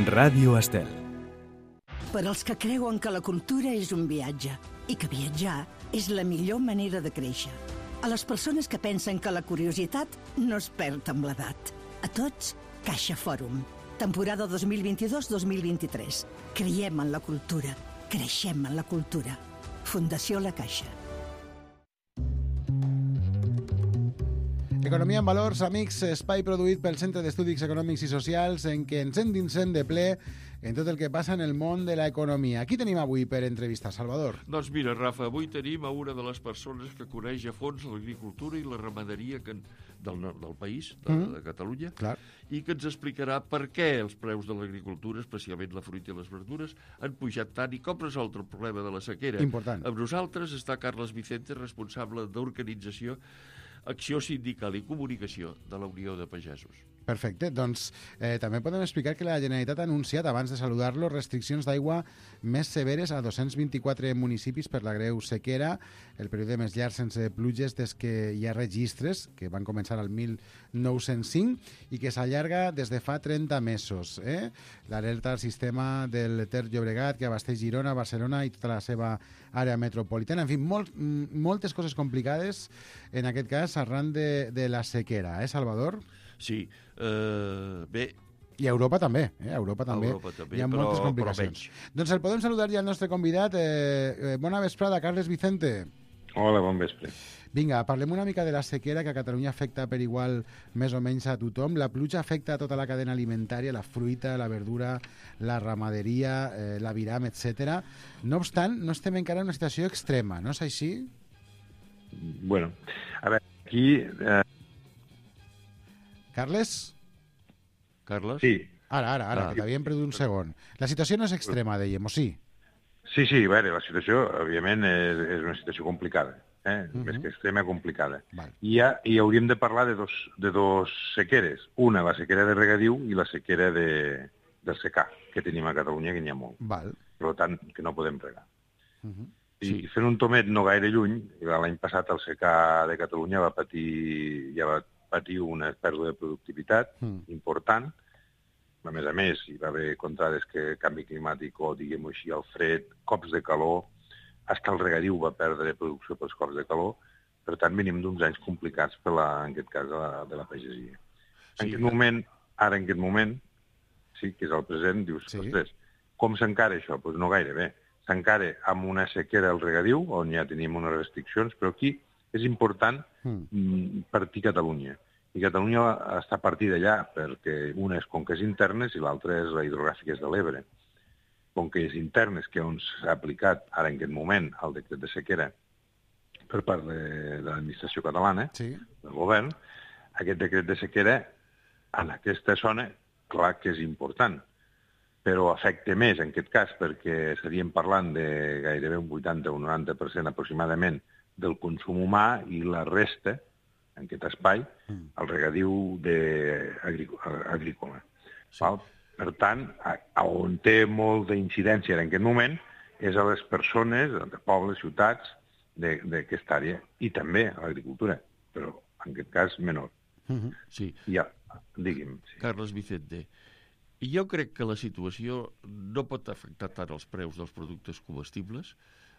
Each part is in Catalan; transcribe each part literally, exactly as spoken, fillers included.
Ràdio Estel. Per als que creuen que la cultura és un viatge i que viatjar és la millor manera de créixer. A les persones que pensen que la curiositat no es perd amb l'edat. A tots, Caixa Fòrum. Temporada dos mil vint-i-dos dos mil vint-i-tres. Creiem en la cultura. Creixem en la cultura. Fundació La Caixa. Economia en valors, amics, espai produït pel Centre d'Estudis Econòmics i Socials en què ens endinsem de ple en tot el que passa en el món de l'economia. Qui tenim avui per entrevistar, Salvador? Doncs mira, Rafa, avui tenim a una de les persones que coneix a fons l'agricultura i la ramaderia que, del, del país, de, mm. de Catalunya, Clar. I que ens explicarà per què els preus de l'agricultura, especialment la fruita i les verdures, han pujat tant i com resoldre el problema de la sequera. Important. Amb nosaltres està Carles Vicente, responsable d'organització, Acció Sindical i Comunicació de la Unió de Pagesos. Perfecte. Doncs eh, també podem explicar que la Generalitat ha anunciat, abans de saludar-lo, restriccions d'aigua més severes a dos-cents vint-i-quatre municipis per la greu sequera, el període més llarg sense pluges des que hi ha registres, que van començar al mil nou-cents cinc i que s'allarga des de fa trenta mesos. Eh? L'alerta al sistema del Ter Llobregat, que abasteix Girona, Barcelona i tota la seva àrea metropolitana. En fi, molt, moltes coses complicades, en aquest cas, arran de, de la sequera. Eh, Salvador? Sí. Uh, bé, i a Europa també, eh? A Europa també, Europa també hi ha però, moltes complicacions. Doncs el podem saludar ja al nostre convidat. Eh, eh, bona vesprada, Carles Vicente. Hola, bon vespre. Vinga, parlem una mica de la sequera que a Catalunya afecta per igual més o menys a tothom. La pluja afecta a tota la cadena alimentària, la fruita, la verdura, la ramaderia, eh, l'aviram, etcètera. No obstant, no estem encara en una situació extrema, no és així? Bueno, a veure, aquí... Eh... Carles? Carles? Sí. Ara, ara, ara, ah, que t'havíem perdut un segon. La situació no és extrema, dèiem, o sí? Sí, sí, a veure, la situació, òbviament, és, és una situació complicada, eh? Uh-huh. Més que extrema, complicada. Val. I, ha, I hauríem de parlar de dos, de dos sequeres. Una, la sequera de regadiu, i la sequera de, del secà, que tenim a Catalunya, que n'hi ha molt. Val. Per tant, que no podem regar. Uh-huh. I, Sí. I fent un tomet no gaire lluny, l'any passat el secà de Catalunya va patir, ja va patir una pèrdua de productivitat mm. important. A més a més, hi va haver contrades que canvi climàtic o, diguem-ho així, el fred, cops de calor, fins que el regadiu va perdre producció pels cops de calor. Per tant, venim d'uns anys complicats, per la, en aquest cas, de la, de la pagesia. Sí. En aquest moment, ara en aquest moment, sí, que és el present, dius, Sí. ostres, com s'encara això? Doncs pues no gaire bé. S'encara amb una sequera al regadiu, on ja tenim unes restriccions, però aquí és important mm. partir Catalunya. I Catalunya està partida allà perquè una és conques internes i l'altra és la hidrogràfiques de l'Ebre. Conques internes, que on s'ha aplicat ara en aquest moment el decret de sequera per part de, de l'administració catalana, sí. del govern, aquest decret de sequera en aquesta zona, clar que és important, però afecta més en aquest cas perquè estaríem parlant de gairebé un vuitanta o un noranta per cent aproximadament del consum humà i la resta, en aquest espai, mm. el regadiu de agrícola. Sí. Per tant, a, a on té molta incidència en aquest moment és a les persones, de pobles, ciutats, d'aquesta àrea, i també a l'agricultura, però en aquest cas menor. Mm-hmm. Sí. Ja, digui'm. Sí. Carles Vicente, jo crec que la situació no pot afectar tant els preus dels productes comestibles,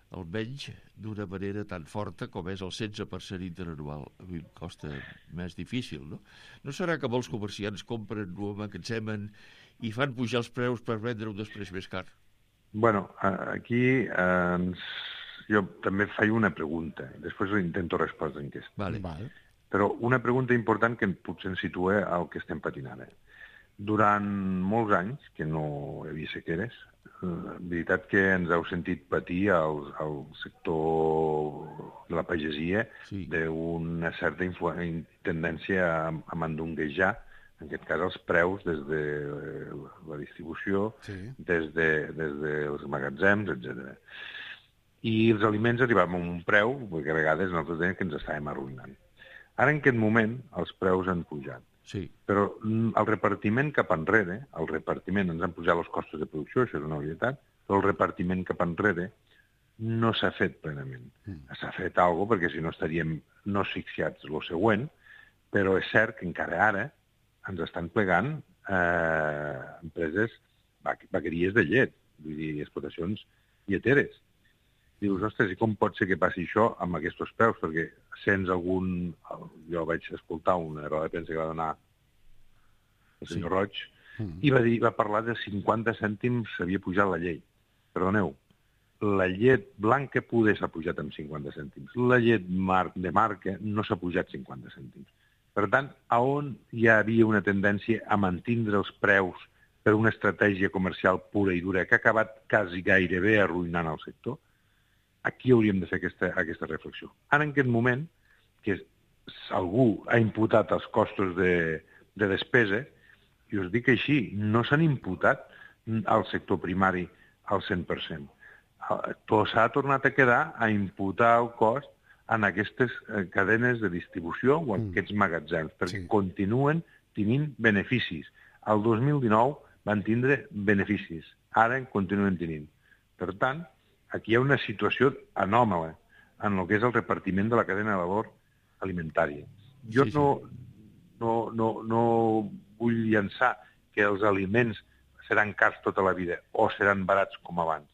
almenys d'una manera tan forta com és el setze per cent interanual. A mi em costa més difícil, no? No serà que molts comerciants compren, ho emmagatzemen i fan pujar els preus per vendre-ho després més car? Bueno, aquí eh, jo també faig una pregunta, després intento respondre en aquesta. Vale. Vale. Però una pregunta important que potser ens situa al que estem patint ara. Durant molts anys, que no hi havia sequeres, la veritat que ens heu sentit patir al, al sector de la pagesia sí. d'una certa tendència a, a mandonguejar, en aquest cas, els preus des de la distribució, sí. des, de, des dels magatzems, etcètera. I els aliments arribaven a un preu, perquè a vegades nosaltres dèiem que ens estàvem arruïnant. Ara, en aquest moment, els preus han pujat. Sí. Però el repartiment cap enrere, el repartiment, ens han pujat els costos de producció, això és una obvietat, però el repartiment cap enrere no s'ha fet plenament. Mm. S'ha fet alguna cosa, perquè si no estaríem no asfixiats lo següent, però és cert que encara ara ens estan plegant eh, empreses vaqueries de llet, vull dir, explotacions lleteres. Dius, ostres, i com pot ser que passi això amb aquests preus? Perquè sents algun... Jo vaig escoltar una roda de premsa que va donar el senyor sí. Roig, mm. i va, dir, va parlar de cinquanta cèntims s'havia pujat la llei. Perdoneu, la llet blanca poder s'ha pujat amb cinquanta cèntims. La llet mar de marca no s'ha pujat cinquanta cèntims. Per tant, a on hi havia una tendència a mantindre els preus per una estratègia comercial pura i dura que ha acabat quasi gairebé arruïnant el sector, aquí hauríem de fer aquesta, aquesta reflexió. Ara, en aquest moment, que algú ha imputat els costos de, de despesa, i us dic així, no s'han imputat al sector primari al cent per cent. Tot s'ha tornat a quedar a imputar el cost en aquestes cadenes de distribució o en aquests magatzems, perquè sí. continuen tenint beneficis. El dos mil dinou van tindre beneficis, ara en continuen tenint. Per tant, aquí hi ha una situació anòmala en el que és el repartiment de la cadena de valor alimentària. Jo sí, sí. No, no, no, no vull llançar que els aliments seran cars tota la vida o seran barats com abans.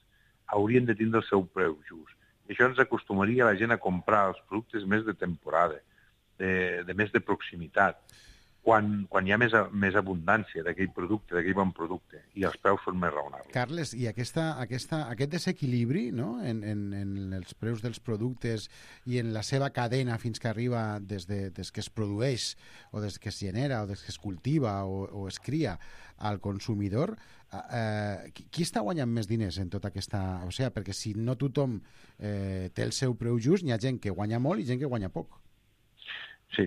Haurien de tindre el seu preu just. I això ens acostumaria la gent a comprar els productes més de temporada, de, de més de proximitat, quan, quan hi ha més, més abundància d'aquell producte, d'aquell bon producte, i els preus són més raonables. Carles, i aquesta, aquesta, aquest desequilibri, no?, en, en, en els preus dels productes i en la seva cadena fins que arriba des, de, des que es produeix o des que es genera o des que es cultiva o, o es cria al consumidor, eh, qui està guanyant més diners en tota aquesta... O sigui, perquè si no tothom eh, té el seu preu just, hi ha gent que guanya molt i gent que guanya poc. Sí,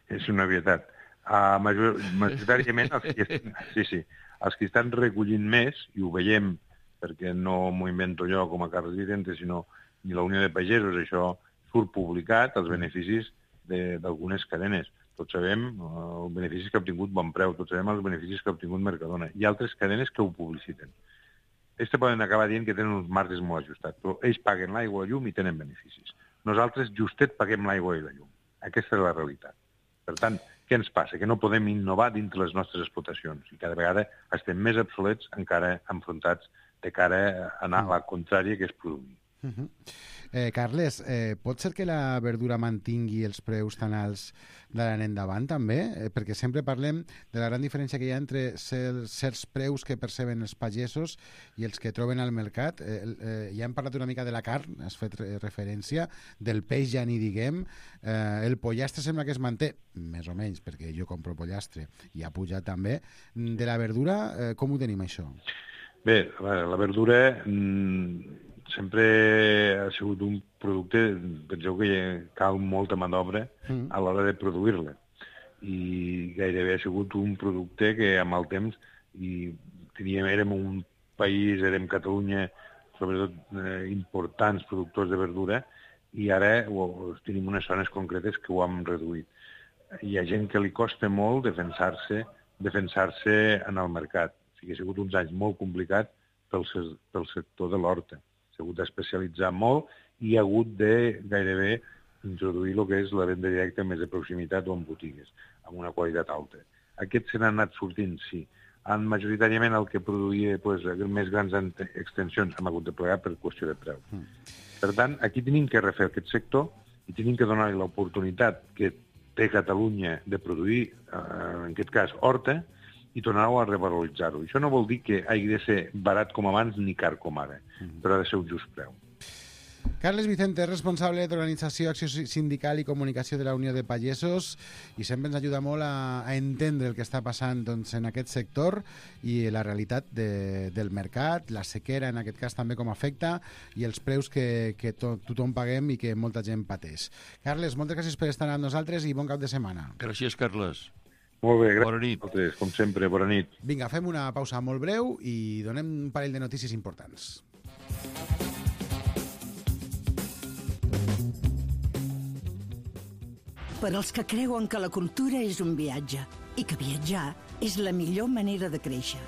és una obvietat. Uh, major, majoritàriament els que, estan, sí, sí, els que estan recollint més, i ho veiem perquè no m'ho invento jo com a Carles Vicente, sinó ni la Unió de Pagesos, això surt publicat, els beneficis d'algunes cadenes. Tots sabem uh, els beneficis que ha obtingut Bon Preu, tots sabem els beneficis que ha obtingut Mercadona. Hi ha altres cadenes que ho publiciten. Ells poden acabar dient que tenen uns marges molt ajustats, però ells paguen l'aigua i la llum i tenen beneficis. Nosaltres justet paguem l'aigua i la llum. Aquesta és la realitat. Per tant, què ens passa? Que no podem innovar dintre les nostres explotacions i cada vegada estem més obsolets encara enfrontats de cara a anar a la contrària, que és produir. Uh-huh. eh, Carles, eh, pot ser que la verdura mantingui els preus tan alts d'ara en endavant també? Eh, perquè sempre parlem de la gran diferència que hi ha entre certs, certs preus que perceben els pagesos i els que troben al mercat. Eh, eh, ja hem parlat una mica de la carn, has fet referència, del peix ja ni diguem. Eh, el pollastre sembla que es manté, més o menys, perquè jo compro pollastre i ha pujat també. De la verdura, eh, com ho tenim això? Bé, la verdura... Mm... sempre ha sigut un producte, penseu que cal molta mà d'obra a l'hora de produir-la. I gairebé ha sigut un producte que amb el temps, i teníem, érem un país, érem Catalunya, sobretot eh, importants productors de verdura, i ara o, tenim unes zones concretes que ho hem reduït. Hi ha gent que li costa molt defensar-se defensar-se en el mercat. O sigui, ha sigut uns anys molt complicats pel, pel sector de l'horta. S'ha hagut d'especialitzar molt i ha hagut de gairebé introduir el que és la venda directa més de proximitat o en botigues, amb una qualitat alta. Aquests se n'han anat sortint, sí. En majoritàriament el que produïa pues, més grans extensions hem hagut de plegar per qüestió de preu. Mm. Per tant, aquí tenim que refer aquest sector i tenim que donar-li l'oportunitat que té Catalunya de produir, eh, en aquest cas, horta, i tornar-ho a revaloritzar-ho. Això no vol dir que hagi de ser barat com abans ni car com ara, però ha de ser un just preu. Carles Vicente, responsable d'Organització, Acció Sindical i Comunicació de la Unió de Pagesos, i sempre ens ajuda molt a, a entendre el que està passant doncs, en aquest sector i la realitat de, del mercat, la sequera en aquest cas també com afecta i els preus que, que to, tothom paguem i que molta gent pateix. Carles, moltes gràcies per estar amb nosaltres i bon cap de setmana. Gràcies, Carles. Molt bé, gràcies. Bona nit. Altres, com sempre, bona nit. Vinga, fem una pausa molt breu i donem un parell de notícies importants. Per als que creuen que la cultura és un viatge i que viatjar és la millor manera de créixer.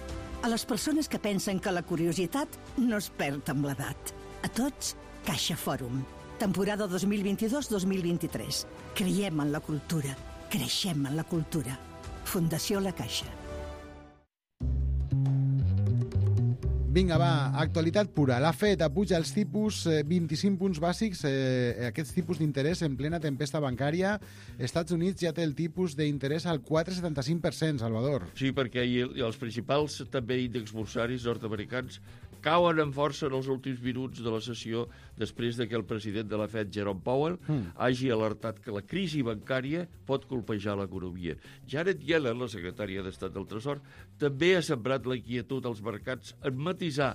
A les persones que pensen que la curiositat no es perd amb l'edat. A tots, Caixa Fòrum. Temporada dos mil vint-i-dos dos mil vint-i-tres. Creiem en la cultura. Creixem en la cultura. Fundació La Caixa. Vinga, va, actualitat pura. La Fed apuja els tipus eh, vint-i-cinc punts bàsics, eh, aquests tipus d'interès en plena tempesta bancària. Estats Units ja té el tipus d'interès al quatre coma setanta-cinc per cent, Salvador. Sí, perquè i els principals també índexs bursaris nord-americans cauen amb força en els últims minuts de la sessió després de que el president de la Fed, Jerome Powell, mm. hagi alertat que la crisi bancària pot colpejar l'economia. Janet Yellen, la secretària d'Estat del Tresor, també ha sembrat la inquietud als mercats en matisar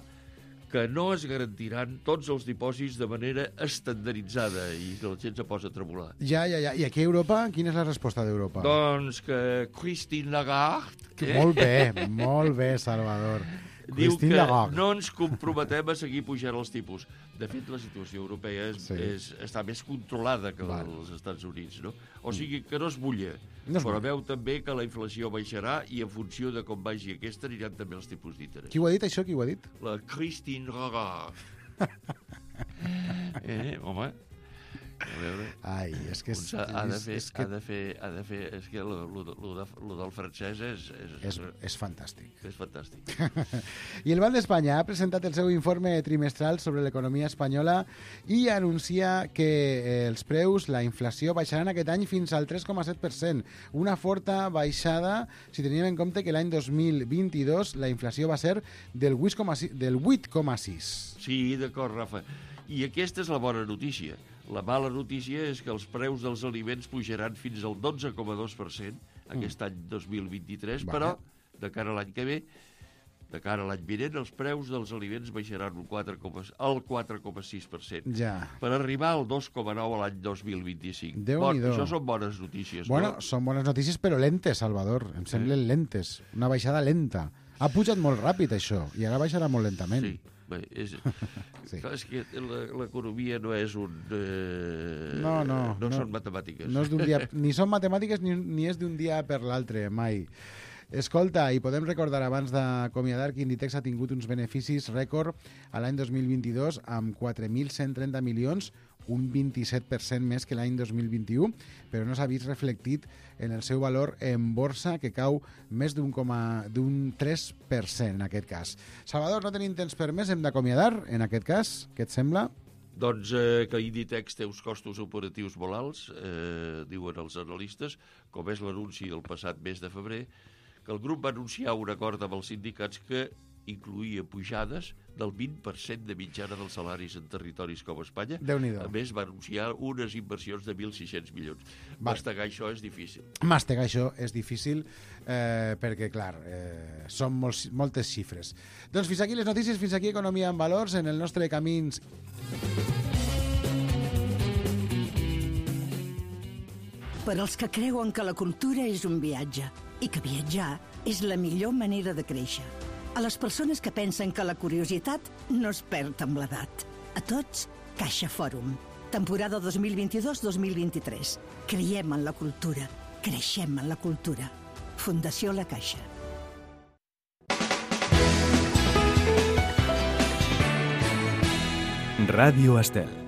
que no es garantiran tots els dipòsits de manera estandarditzada i que la gent se posa a tremolar. Ja, ja, ja. I aquí a Europa, quina és la resposta d'Europa? Doncs que Christine Lagarde... Eh? Molt bé, molt bé, Salvador. Diu que no ens comprometem a seguir pujant els tipus. De fet, la situació europea és, sí. és, està més controlada que vale. els Estats Units, no? O sigui, que no es mulla. No es però veu també que la inflació baixarà i en funció de com vagi aquesta aniran també els tipus d'interès. Qui ho ha dit, això? Qui ho ha dit? La Christine Lagarde. eh, home... A veure, ai, és que és, ha de fer, és que... ha de fer, ha de fer, és que lo, lo, lo, de, lo del francès és... És, és, és fantàstic. És fantàstic. I el Banc d'Espanya ha presentat el seu informe trimestral sobre l'economia espanyola i anuncia que els preus, la inflació, baixaran aquest any fins al tres coma set per cent. Una forta baixada si teníem en compte que l'any dos mil vint-i-dos la inflació va ser del vuit coma sis. Sí, d'acord, Rafa. I aquesta és la bona notícia. La mala notícia és que els preus dels aliments pujaran fins al dotze coma dos per cent aquest mm. any dos mil vint-i-tres, vale. Però de cara a l'any que ve, de cara a l'any vinent, els preus dels aliments baixaran al quatre coma sis per cent, ja. per arribar al dos coma nou a l'any dos mil vint-i-cinc. Bon, això són bones notícies. Bueno, no? Són bones notícies, però lentes, Salvador. Em semblen eh? lentes. Una baixada lenta. Ha pujat molt ràpid, això, i ara baixarà molt lentament. Sí. Bé, és, sí. Clar, és que l'economia no és un... Eh, no, no. No, no són matemàtiques. No és d'un dia, ni són matemàtiques ni, ni és d'un dia per l'altre, mai. Escolta, i podem recordar abans d'acomiadar que Inditex ha tingut uns beneficis rècord a l'any dos mil vint-i-dos amb quatre mil cent trenta milions, un vint-i-set per cent més que l'any dos mil vint-i-u, però no s'ha vist reflectit en el seu valor en borsa, que cau més d'un tres per cent en aquest cas. Salvador, no tenim temps per més, hem d'acomiadar en aquest cas, què et sembla? Doncs eh, que Inditex té uns costos operatius molt alts, eh, diuen els analistes, com és l'anunci del passat mes de febrer, que el grup va anunciar un acord amb els sindicats que incluïa pujades del vint per cent de mitjana dels salaris en territoris com Espanya. Déu-n'hi-do. A més, va anunciar unes inversions de mil sis-cents milions. Vale. Mastegar això és difícil. Mastegar això és difícil eh, perquè, clar, eh, són molts, moltes xifres. Doncs fins aquí les notícies, fins aquí Economia en Valors, en el nostre Camins... Per als que creuen que la cultura és un viatge i que viatjar és la millor manera de créixer. A les persones que pensen que la curiositat no es perd amb l'edat. A tots, Caixa Fòrum. Temporada dos mil vint-i-dos dos mil vint-i-tres. Creiem en la cultura. Creixem en la cultura. Fundació La Caixa. Ràdio Estel.